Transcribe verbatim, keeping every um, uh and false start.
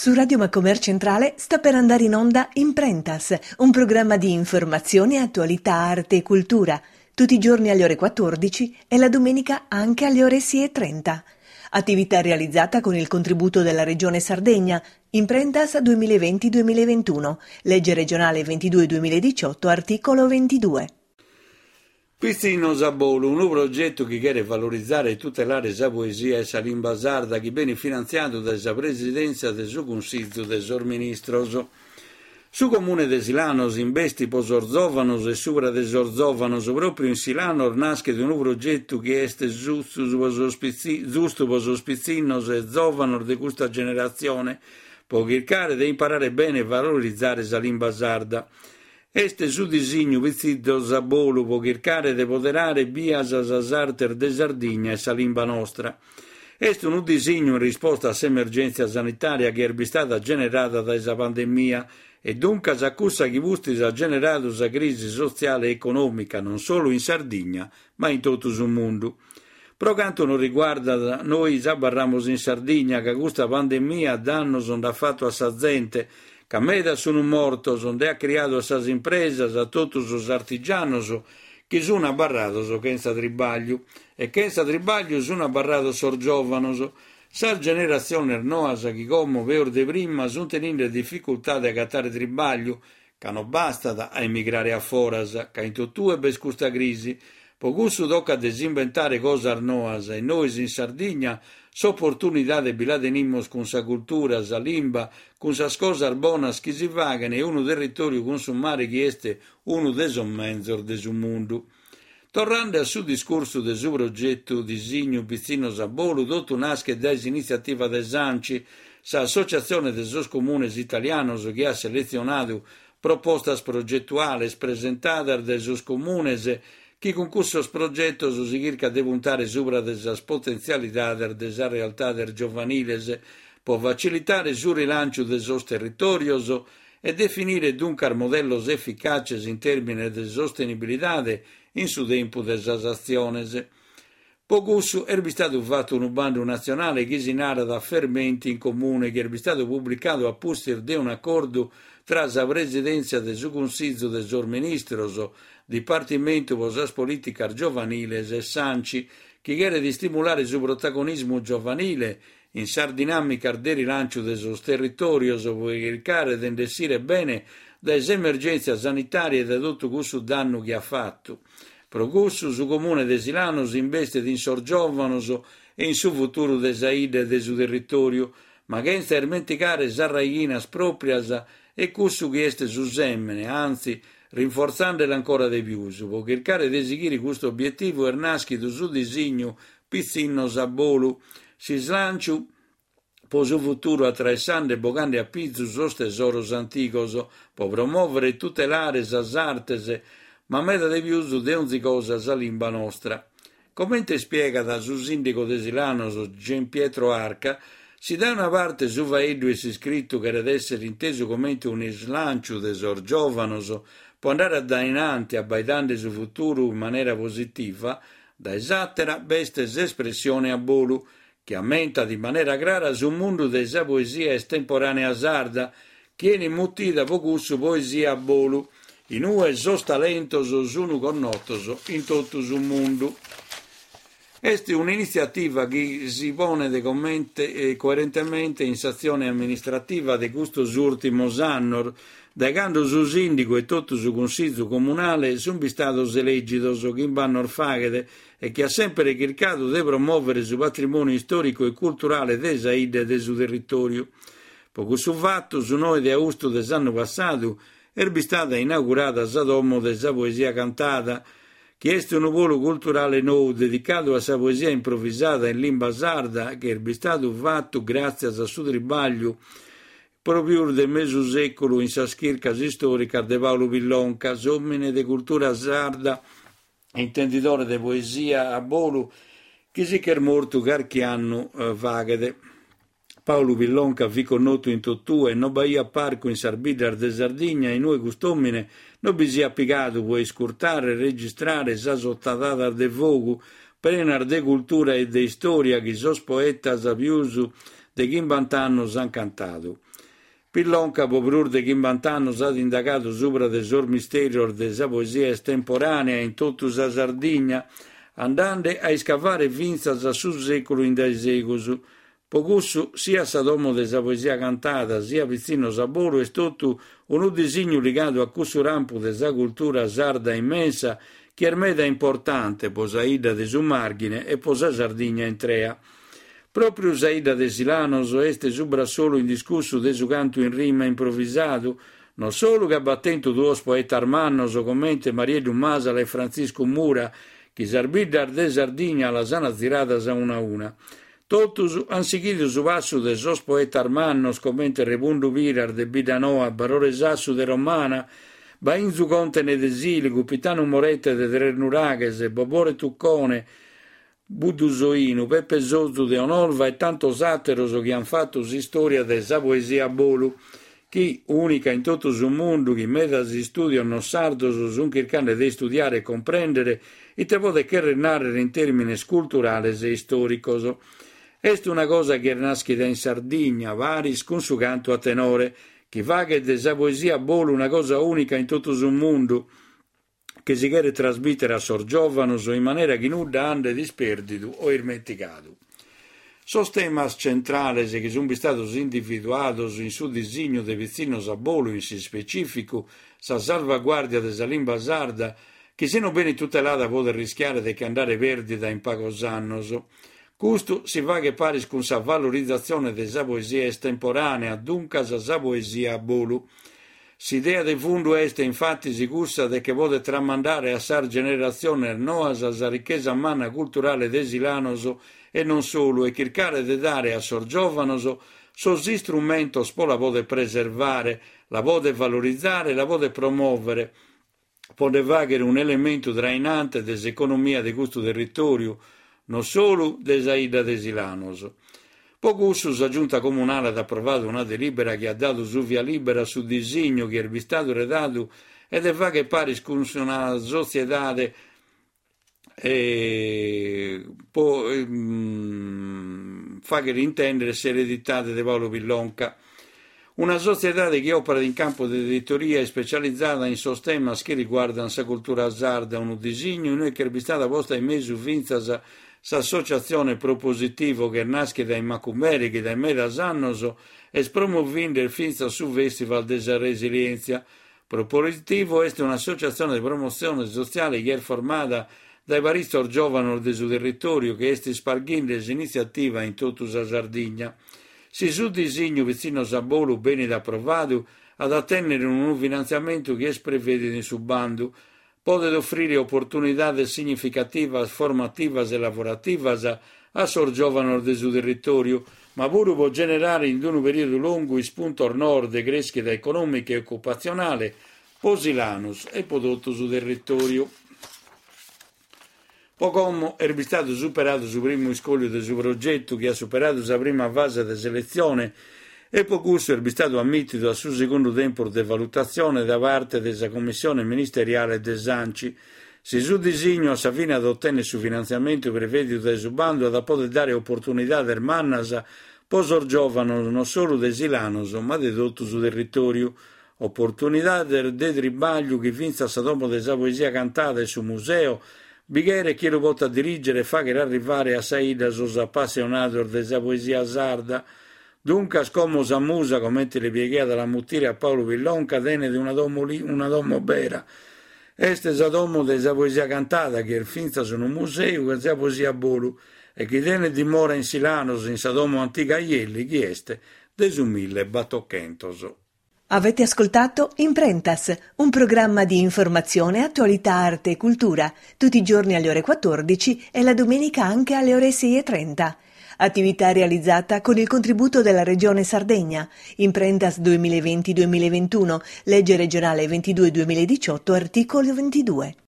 Su Radio Macomer Centrale sta per andare in onda Imprentas, un programma di informazione, attualità, arte e cultura, tutti i giorni alle ore quattordici e la domenica anche alle ore sei e trenta. Attività realizzata con il contributo della Regione Sardegna, Imprentas duemilaventi duemilaventuno, legge regionale ventidue duemiladiciotto, articolo ventidue. Pitzinnos a bolu, unu progetu chi cheret valorizzare e tutelare sa poesia e sa limba sarda chi benit finantziadu dae sa Presidenza de su Cunsìgiu de sos Ministros. Su Comune de Silanos investit pro sos zòvanos e subra de sos zòvanos. Pròpiu in Silanos naschet unu progetu chi est giustu pro sos pitzi-, giustu pro sos pitzinnos e zòvanos de custa generatzione, pro chircare de imparare bene e valorizzare sa limba sarda. Est su disignu Pitzinnos a bolu pro chircare de poderare bias sas artes de Sardigna e sa limba nostra. Est unu disignu in risposta a s'emergèntzia sanitària chi est bistada generada dae sa pandemia e duncas a cussa chi pustis at generadu sa crisi sotziale e econòmica non solu in Sardigna ma in totu su mundu. Pro cantu nos riguardat, nois abarramus in Sardigna ca custa pandemia dannos nd'at fatu a sa zente, ca medas sunt mortos, nde at criadu a sas impresas, a totu sos artigianos chi sunt abarrados chentza tribagliu. E chentza tribagliu sunt abarrados sos giòvanos. Sas generatziones noas chi como, peus de prima, sunt teninde dificultade a agatare tribagliu, ca non bastat a emigrare a foras, ca in totue b'est custa crisi. Pro cussu tocat de s'inventare cosas noas e nois in Sardigna s'opportunidade bi la tenimus cun sa cultura, sa limba, cun sas cosas bonas chi si faghen e unu territoriu cun su mare chi est unu de sos menzos de su mundu. Torrande a su discursu de su progetu Disignu Pitzinnos a bolu, totu naschet dae s'initziativa de s'ANCI, s'Associazione de sos Comunes Italianos chi at seletzionadu propostas progetuales presentadas dae sos comunes chi cun cussos progetos si chircat de puntare subra de sas potentzialidades de sas realtades giovaniles pro facilitare su rilanciu de sos territorios e definire duncas modellos eficaces in tèrmines de sostenibilidade in su tempu de sas atziones. Pro cussu est bistadu fatu unu bandu natzionale chi si narat Fermenti in Comune, chi est bistadu publicadu a pustis de un'acordu tra sa Presidenza de su Cunsìgiu de sos Ministros, Dipartimentu pro sas Polìticas Giovaniles e s'ANCI, chi cheret istimulare su protagonismu giovanile in sas dinàmicas de rilanciu de sos territorios pro chircare de nd'essire bene dae s'emergèntzia sanitària e dae totu cussu dannu chi at fatu. Pro cussu su Comune de Silanos investit in sos giòvanos e in su futuru de sa 'idda e de su territoriu, ma chentza ismentigare sas raighinas pròprias e cussu chi est su sèmene, anzi, rinfortzandela ancora de pius. Pro chircare de sighire custu obietivu est nàschidu su disignu Pitzinnos a bolu, s'islanciu pro su futuru atraessande e bogande a pizu sos tesoros antigos, pro promòvere e tutelare sas artes, ma meda de pius de onzi cosa sa limba nostra. Comente ispiegat su sìndigu de Silanos Gian Pietro Arca, si dae una parte su faeddu e s'iscritu cheret èssere intesu comente un'islanciu de sos giòvanos pro andare a dainanti abbaidande su futuru in manera positiva, dae s'àtera b'est s'espressione a bolu, chi ammentat in manera crara su mundu de sa poesia estemporanea sarda, chi 'enit mutida pro cussu poesia a bolu, in ue sos talentos sunu connotos in totu su mundu. Est un'initziativa chi si ponet comente e coerentemente in s'atzione amministrativa de custos ùrtimos annos, dae cando su sìndigu e totu su Cunsìgiu Comunale sunt bistados elègidos chimbe annos faghet e chi at sempre chircadu de promòvere su patrimoniu istòricu e culturale de sa 'idda e de su territoriu. Pro cussu fatu, su noe de austu de s'annu passadu est bistada inaugurada sa Domo de sa Poesia Cantada, chi est unu polu culturale nou dedicadu a sa poesia improvisada in limba sarda, chi est bistadu fatu gràtzias a su tribagliu pro pius de mesu sèculu in sas chircas istòricas de Paulu Pillonca, s'òmine de cultura sarda e intendidore de poesia a bolu, chi si ch'est mortu carchi annu faghet. Paulu Pillonca fit connotu in totue e non b'aiat parcu in sas biddas de Sardigna in ue cust'òmine non bi siat pigadu pro iscurtare e registrare sas otadadas de fogu prenas de cultura e de istòria chi sos poetas pius de chimbanta annos ant cantadu. Pillonca po prus de chimbanta annos at indagadu subra de sos mistèrios de sa poesia estemporànea in totu sa Sardigna, andende a iscavare fintzas a su sèculu in dae segus. Po cussu, sia sa domo de sa poesia cantada, sia Pitzinnos a bolu, est totu unu disignu ligadu a cussu rampu de sa cultura sarda immensa chi est meda importante po sa 'idda de su Marghine e po sa Sardigna intrea. Pròpriu sa 'idda de Silanos est su brassolu indiscussu de su cantu in rima improvisadu, non solu ca b'at tentu duos poetas mannos comente Marieddu Masala e Frantziscu Mura, chi sas biddas de Sardigna las an ziradas a una a una. Totus an sighidu su passu de sos poetas mannos comente Remundu Piras de Biddanoa, Barore Sassu de Romana, Bainzu Contene de Sìligu, Pitanu Morette de Tresnuraghes, Bobore Tuccone, Buddusoinu, Peppe Sozu de Onolva e tantos àteros chi an fatu s'istòria de sa poesia a bolu, chi, ùnica in totu su mundu, chi medas istùdios non sardos sunt chirchende de istudiare e cumprèndere ite podet chèrrere nàrrere in tèrmines culturales e istòricos. Est una cosa chi est nàschida in Sardigna, paris cun su cantu a tenore, chi faghet de sa poesia a bolu una cosa ùnica in totu su mundu, chi si cheret trasmìtere a sos giòvanos in manera chi nudda andet ispèrdidu o ismentigadu. Sos temas centrales chi sunt istados individuados in su disignu de Pitzinnos a bolu, in s'ispecìficu sa salvaguàrdia de sa limba sarda, chi si non benit tutelada podet rischiare de che andare pèrdida in pagos annos. Custu si faghet paris cun sa valorizatzione de sa poesia estemporànea, duncas sa poesia a bolu. S'idea de fundu est, infatis, cussa de che podet tramandare a sas generatziones noas sa richesa manna culturale de Silanos e non solu, e chircare de dare a sos giòvanos sos istrumentos po la poder preservare, la poder valorizare e la poder promòvere, po nde fàghere un'elementu trainante de s'economia de custu territòriu, non solu de sa 'idda de Silanos. Po cussu sa Giunta Comunale at aprovadu una delìbera chi at dadu su via lìbera a su disignu chi est bistadu redadu e de fàghere paris cun una sotziedade e po fàghere intèndere s'ereditade de Paolo Pillonca. Una sotziedade chi òperat in campu de editoria ispecializada in sos temas chi riguardant sa cultura sarda, unu disignu in ue ch'est bistada posta in mesu fintzas s'associatzione Propositivo, chi est nàschida in Macumere, chi dae medas annos est promovende fintzas su Festival de sa Resilièntzia. Propositivo est un'associatzione de promotzione sotziale chi est formada dae paritzos giòvanos de su territòriu chi est isparghende s'initziativa in totu sa Sardigna. Si su disignu Pitzinnos a bolu benit aprovadu, at a tènnere unu finantziamentu chi est prevèdidu in su bandu. Podet ofrire oportunidades significativas, formativas e lavorativas a sos giòvanos de su territòriu, ma puru po generare in unu perìodu longu ispuntos noos de crèschida econòmica e ocupatzionale po Silanus e po totu su territòriu. Po como est bistadu superadu su primu iscòliu de su progetu chi at superadu sa prima fase de seletzione e po cussu est bistadu ammìtidu a su segundu tempus de valutatzione da parte de sa Commissione Ministeriale de s'ANCI. Si su disignu a sa fine at otènnere su finantziamentu prevèdidu dae su bandu at a poder dare oportunidades mannas po sos giòvanos non solu de Silanos ma de totu su territòriu. Oportunidades de tribàgliu chi fintzas sa Domo de sa Poesia Cantada e su museu bi cheret chie lu potat dirìgere e fàghere arrivare a sa 'idda sos apassionados de sa poesia sarda. Duncas, como sa musa, comente li piaghiat a la mutire a Paolo Pillonca, tenet una domo, una domo bera. Est sa Domo de sa Poesia Cantada, chi est fintzas unu museu de sa poesia a bolu e chi tenet dimora in Silanos, in sa domo antiga Aielli, chi est de su millebatochentos. Avete ascoltato Imprentas, un programma di informazione, attualità, arte e cultura, tutti i giorni alle ore quattordici e la domenica anche alle ore sei e trenta. Attività realizzata con il contributo della Regione Sardegna. Imprentas duemilaventi duemilaventuno, legge regionale ventidue duemiladiciotto, articolo ventidue.